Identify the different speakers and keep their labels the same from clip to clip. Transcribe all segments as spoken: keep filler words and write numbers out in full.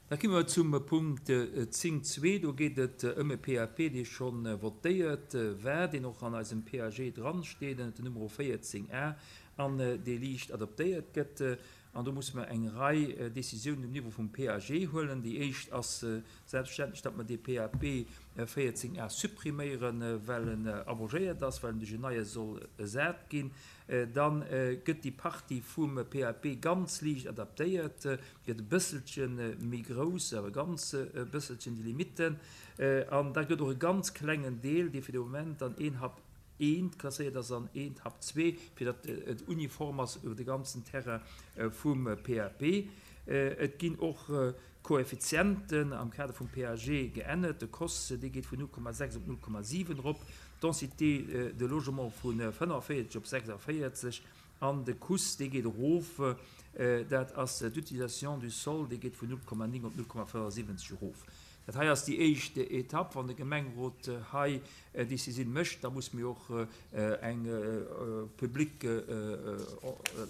Speaker 1: Da komme mer zum Punkt zéng zwee. Do geet et ëm e P A P, dee scho votéiert war, deen och an eisem P A G dransteet, ënner dem Numero véierzéng A, an dee liicht adaptéiert gëtt. An do musse mer eng Rei Décisiounen um Niveau vum P A G huelen. Déi éischt ass selbstverständlech, datt mer dee P A P véierzéng A suppriméieren, well en abrogéiert ass, well en duerch en neie soll ersat ginn. Da gëtt déi Partie vum P A P ganz liicht adaptéiert, gëtt e bësselche méi grouss, awer ganz e bësselchen déi Limiten. An da gëtt och e ganz klengen Deel, dee fir de Moment an een H A P eent klasséiert ass, an eent H A P zwee, fir datt et uniform ass iwwer de ganzen Terrain vum P A P. Et ginn och Koeffizienten am Kader vum P A G geännert. De C O S, dee geet vun null Komma sechs op null Komma siwen erop, d'Densité de logement vu fënnefenvéierzeg op sechsundvéierzeg an de C U S, dee geet erof, dat ass d'Utilisation du sol, dee geet vun null Komma néng op null Komma fënnefensiwwenzeg erof. Dat hei ass déi éischt Etapp. Wann de Gemengerot hei Decisioun mécht, da muss mir och eng public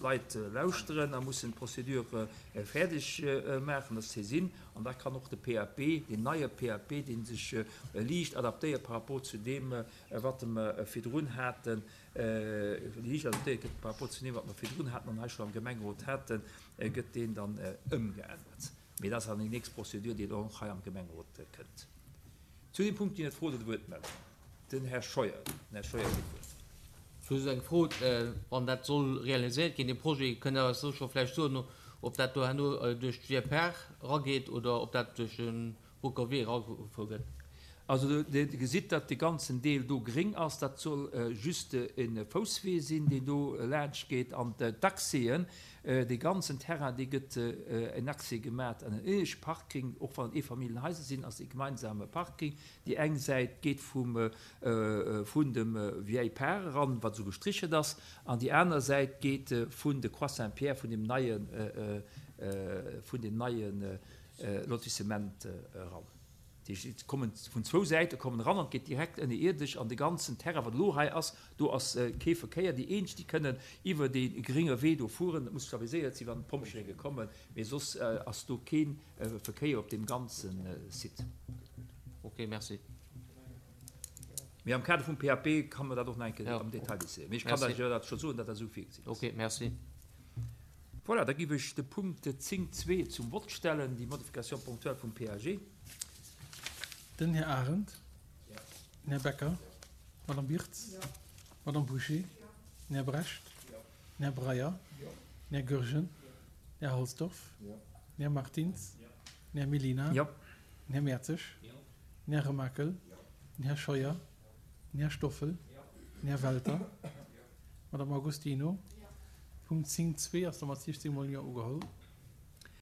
Speaker 1: Leit lauschteren a mussen d'Procédure fäerdeg maachen, dat Saisine. An da kann och de P A P, deen neie P A P, dee sech liicht adaptéiert par rapport zu deem, wat mer virdrun haten, liicht adaptéiert gëtt par rapport zu deem, wat mer virdrun haten an hei schonn am Gemengerot haten, gëtt deen dann ëmgeännert. Mee dat ass dann déi nächst Procédure, déi dann och hei am Gemengerot kënnt. Zu deem Punkt ginn et Froen oder Wuertmeldungen. Den Här Scheuer, den Här Scheuer kritt d'Wuert.
Speaker 2: Just eng Fro, wann dat soll realiséiert ginn, dee Projet, kënnt Der eis do scho vläicht soen, ob dat do herno duerch d'Vieille Par erageet oder ob dat duerch de Broucker Wee eragefuer gëtt?
Speaker 1: Also Dir gesitt, datt de ganzen Deel do gréng ass. Dat soll just e Fousswee sinn, deen do laanscht geet. An d'Accèsen, dee ganzen Terrain, dee gëtt en Accès gemaach an en ënnesche Parking. Och wann et Eefamilljenhaiser sinn, ass e gemeinsame Parking. Déi eng Säit geet vum vun dem Vieille Par eran, wat esou gestrichelt ass, an déi aner Säit geet vun de Croix Saint-Pierre, vun deem neie vun deem neie Lotissement eran. Déi kommen vun zwou Säite kommen eran an et geet direkt ënnerierdesch an de ganzen Terrain, wat elo hei ass, do ass kee Verkéier. Déi eenzeg, déi kënnen iwwer dee grénge Wee do fueren, dat muss stabiliséiert sinn, wann d'Pompjeeë kommen, mee soss ass do kee Verkéier op deem ganze Site.
Speaker 2: Ok, merci.
Speaker 1: Mee am Kader vum P A P kann mer dat och nach eng Kéier am Detail diskutéieren. Mee ech kann lech jo dat scho soen, datt dat esou virgesinn ass.
Speaker 2: Ok, merci.
Speaker 1: Voilà, da giff ech de Punkt zéng zwee zum Vott stellen, déi Modification ponctuelle vum P A G.
Speaker 3: Den Här Arendt. Den Här Becker. D'Madame Birtz. D'Madame Bouché. Den Här Brecht. Den Här Breyer. Den Här Goergen. Den Här Halsdorf. Den Här Martins. Den Här Mellina. Den Här Mertzig. Den Här Remakel. Den Här Scheuer. Den Här Stoffel. Den Här Welter. D'Madame Agostino. Punkt zéng zwee ass da mat siechzéng mol Jo ugeholl.